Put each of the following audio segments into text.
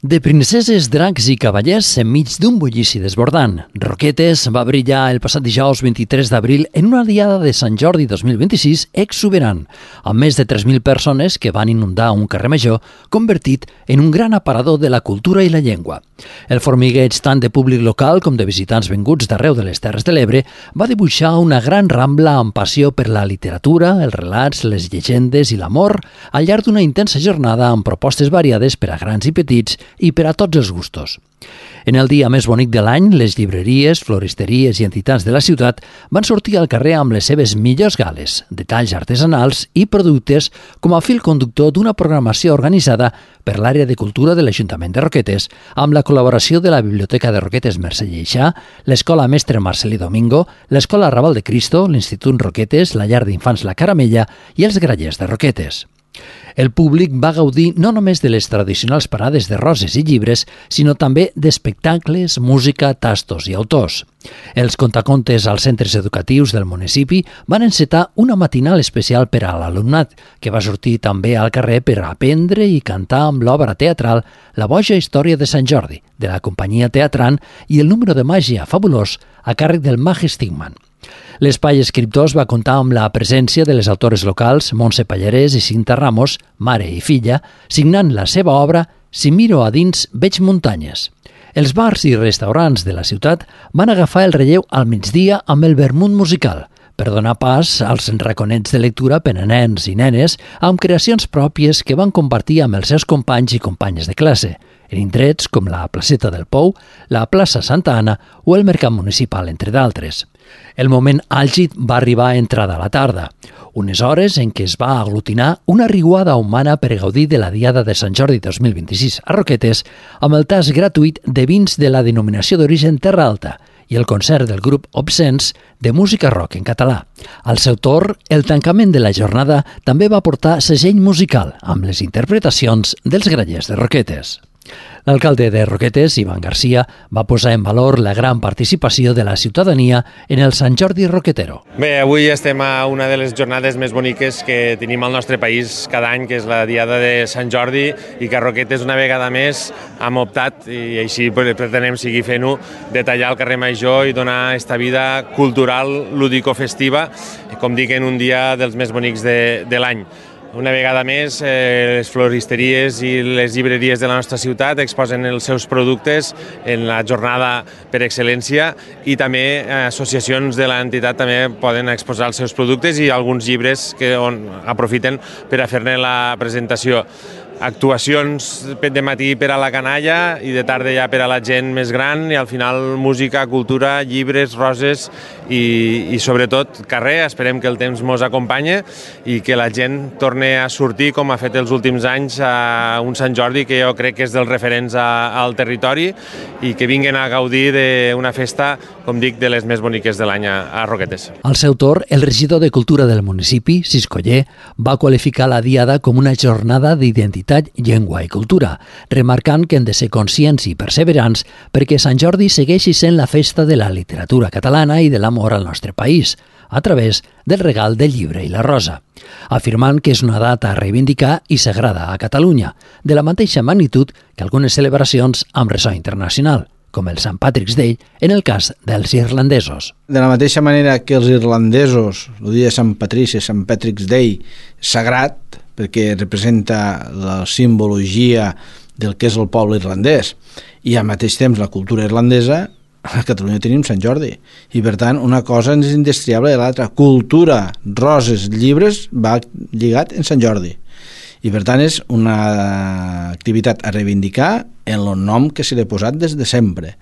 De princeses, dracs i cavallers enmig d'un bullici desbordant, Roquetes va brillar el passat dijous 23 d'abril en una diada de Sant Jordi 2026 exuberant, amb més de 3.000 persones que van inundar un carrer major convertit en un gran aparador de la cultura i la llengua. El formigueig tant de públic local com de visitants venguts d'arreu de les Terres de l'Ebre va dibuixar una gran rambla amb passió per la literatura, els relats, les llegendes i l'amor al llarg d'una intensa jornada amb propostes variades per a grans i petits i per a tots els gustos. En el dia més bonic de l'any, les llibreries, floristeries i entitats de la ciutat van sortir al carrer amb les seves millors gales, detalls artesanals i productes com a fil conductor d'una programació organitzada per l'àrea de cultura de l'Ajuntament de Roquetes, amb la col·laboració de la Biblioteca de Roquetes Mercè Lleixà, l'Escola Mestre Marcelí Domingo, l'Escola Raval de Cristo, l'Institut Roquetes, la Llar d'Infants La Caramella i els Grallers de Roquetes. El públic va gaudir no només de les tradicionals parades de roses i llibres, sinó també d'espectacles, música, tastos i autors. Els contacontes als centres educatius del municipi van encetar una matinal especial per a l'alumnat, que va sortir també al carrer per aprendre i cantar amb l'obra teatral La boja història de Sant Jordi, de la companyia Teatran, i el número de màgia fabulós a càrrec del mag Stigman. L'Espai Escriptors va comptar amb la presència de les autores locals Montse Pallarès i Cinta Ramos, mare i filla, signant la seva obra Si miro a dins veig muntanyes. Els bars i restaurants de la ciutat van agafar el relleu al migdia amb el vermut musical, per donar pas als raconets de lectura per a nens i nenes amb creacions pròpies que van compartir amb els seus companys i companyes de classe, en indrets com la Placeta del Pou, la plaça Santa Anna o el Mercat Municipal, entre d'altres. El moment àlgid va arribar a entrada a la tarda, unes hores en què es va aglutinar una riuada humana per gaudir de la Diada de Sant Jordi 2026 a Roquetes amb el tast gratuït de vins de la denominació d'origen Terra Alta i el concert del grup Obscens de música rock en català. Al seu torn, el tancament de la jornada també va portar segell musical amb les interpretacions dels Grallers de Roquetes. L'alcalde de Roquetes, Ivan Garcia, va posar en valor la gran participació de la ciutadania en el Sant Jordi Roquetero. Bé, avui estem a una de les jornades més boniques que tenim al nostre país cada any, que és la Diada de Sant Jordi, i que a Roquetes una vegada més hem optat, i així pretenem seguir fent-ho, de tallar el carrer Major i donar esta vida cultural, lúdico-festiva, com dic, en un dia dels més bonics de l'any. Una vegada més, les floristeries i les llibreries de la nostra ciutat exposen els seus productes en la jornada per excel·lència i també associacions de l'entitat també poden exposar els seus productes i alguns llibres que aprofiten per a fer-ne la presentació. Actuacions de matí per a la canalla i de tarda ja per a la gent més gran i al final música, cultura, llibres, roses i sobretot carrer. Esperem que el temps ens acompanyi i que la gent torni a sortir com ha fet els últims anys a un Sant Jordi que jo crec que és dels referents al territori i que vinguin a gaudir d'una festa, com dic, de les més boniques de l'any a Roquetes. Al seu torn, el regidor de Cultura del municipi, Siscoller, va qualificar la Diada com una jornada d'identitat, llengua i cultura, remarcant que hem de ser conscients i perseverants perquè Sant Jordi segueixi sent la festa de la literatura catalana i de l'amor al nostre país, a través del regal del llibre i la rosa, afirmant que és una data a reivindicar i sagrada a Catalunya, de la mateixa magnitud que algunes celebracions amb ressò internacional, com el Sant Patrick's Day en el cas dels irlandesos. De la mateixa manera que els irlandesos, el dia de Sant Patrici, Sant Patrick's Day, sagrat, perquè representa la simbologia del que és el poble irlandès, i al mateix temps la cultura irlandesa, a Catalunya tenim Sant Jordi. I per tant, una cosa és indestriable de l'altra. Cultura, roses, llibres, va lligat en Sant Jordi. I per tant és una activitat a reivindicar en el nom que se li ha posat des de sempre.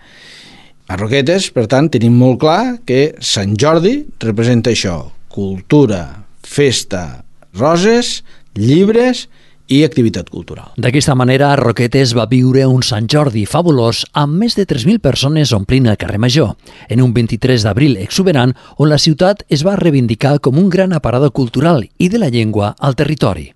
A Roquetes, per tant, tenim molt clar que Sant Jordi representa això: cultura, festa, roses, llibres i activitat cultural. D'aquesta manera, Roquetes va viure un Sant Jordi fabulós amb més de 3.000 persones omplint el carrer Major, en un 23 d'abril exuberant on la ciutat es va reivindicar com un gran aparador cultural i de la llengua al territori.